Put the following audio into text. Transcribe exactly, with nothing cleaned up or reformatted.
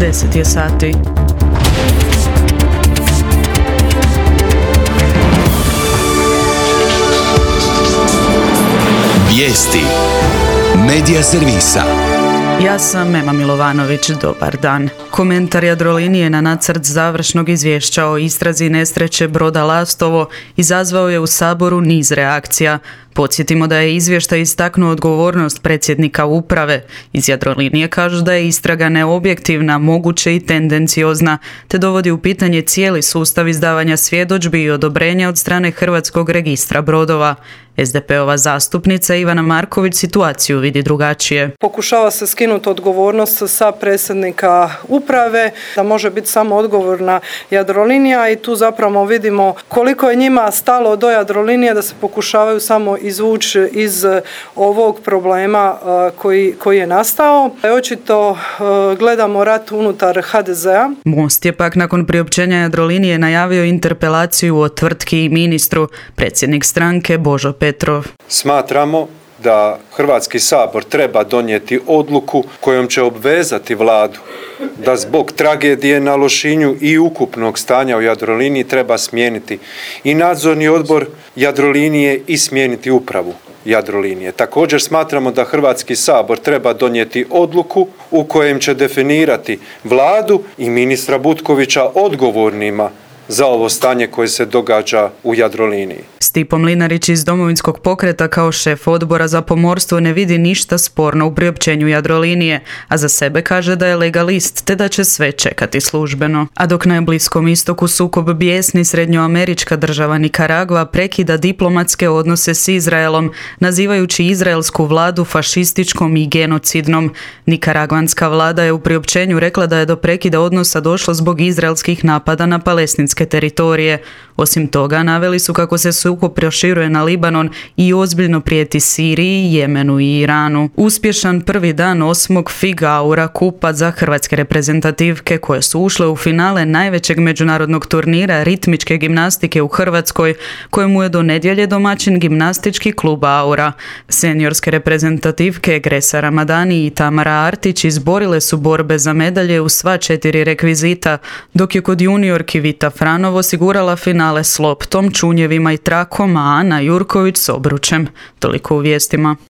deset je sati. Vijesti Medija servisa. Ja sam Ema Milovanović, dobar dan. Komentar Jadrolinije na nacrt završnog izvješća o istrazi nesreće broda Lastovo izazvao je u Saboru niz reakcija. Podsjetimo da je izvještaj istaknuo odgovornost predsjednika uprave. Iz Jadrolinije kažu da je istraga neobjektivna, moguće i tendenciozna, te dovodi u pitanje cijeli sustav izdavanja svjedodžbi i odobrenja od strane Hrvatskog registra brodova. es de pe-ova zastupnica Ivana Marković situaciju vidi drugačije. Pokušava se skinuti odgovornost sa predsjednika uprave, da može biti samo odgovorna Jadrolinija i tu zapravo vidimo koliko je njima stalo do Jadrolinije da se pokušavaju samo izvući iz ovog problema koji, koji je nastao. Očito gledamo rat unutar ha de zea. Most je pak nakon priopćenja Jadrolinije najavio interpelaciju o tvrtki i ministru, predsjednik stranke Božo Petrov. Smatramo da Hrvatski sabor treba donijeti odluku kojom će obvezati vladu da zbog tragedije na Lošinju i ukupnog stanja u Jadroliniji treba smijeniti i nadzorni odbor Jadrolinije i smijeniti upravu Jadrolinije. Također smatramo da Hrvatski sabor treba donijeti odluku u kojem će definirati vladu i ministra Butkovića odgovornima za ovo stanje koje se događa u Jadroliniji. Stipo Mlinarić iz Domovinskog pokreta kao šef odbora za pomorstvo ne vidi ništa sporno u priopćenju Jadrolinije, a za sebe kaže da je legalist te da će sve čekati službeno. A dok na Bliskom istoku sukob bijesni, srednjoamerička država Nikaragva prekida diplomatske odnose s Izraelom, nazivajući izraelsku vladu fašističkom i genocidnom. Nikaragvanska vlada je u priopćenju rekla da je do prekida odnosa došlo zbog izraelskih napada na palestinske teritorije. Osim toga, naveli su kako se sukob proširuje na Libanon i ozbiljno prijeti Siriji, Jemenu i Iranu. Uspješan prvi dan osmog Figa Aura kupa za hrvatske reprezentativke koje su ušle u finale najvećeg međunarodnog turnira ritmičke gimnastike u Hrvatskoj, kojemu je do nedjelje domaćin gimnastički klub Aura. Seniorske reprezentativke Gresa Ramadani i Tamara Artić izborile su borbe za medalje u sva četiri rekvizita, dok je kod juniorki Vita Franov osigurala finale s loptom, čunjevima i trakom, a Ana Jurković s obručem. Toliko u vijestima.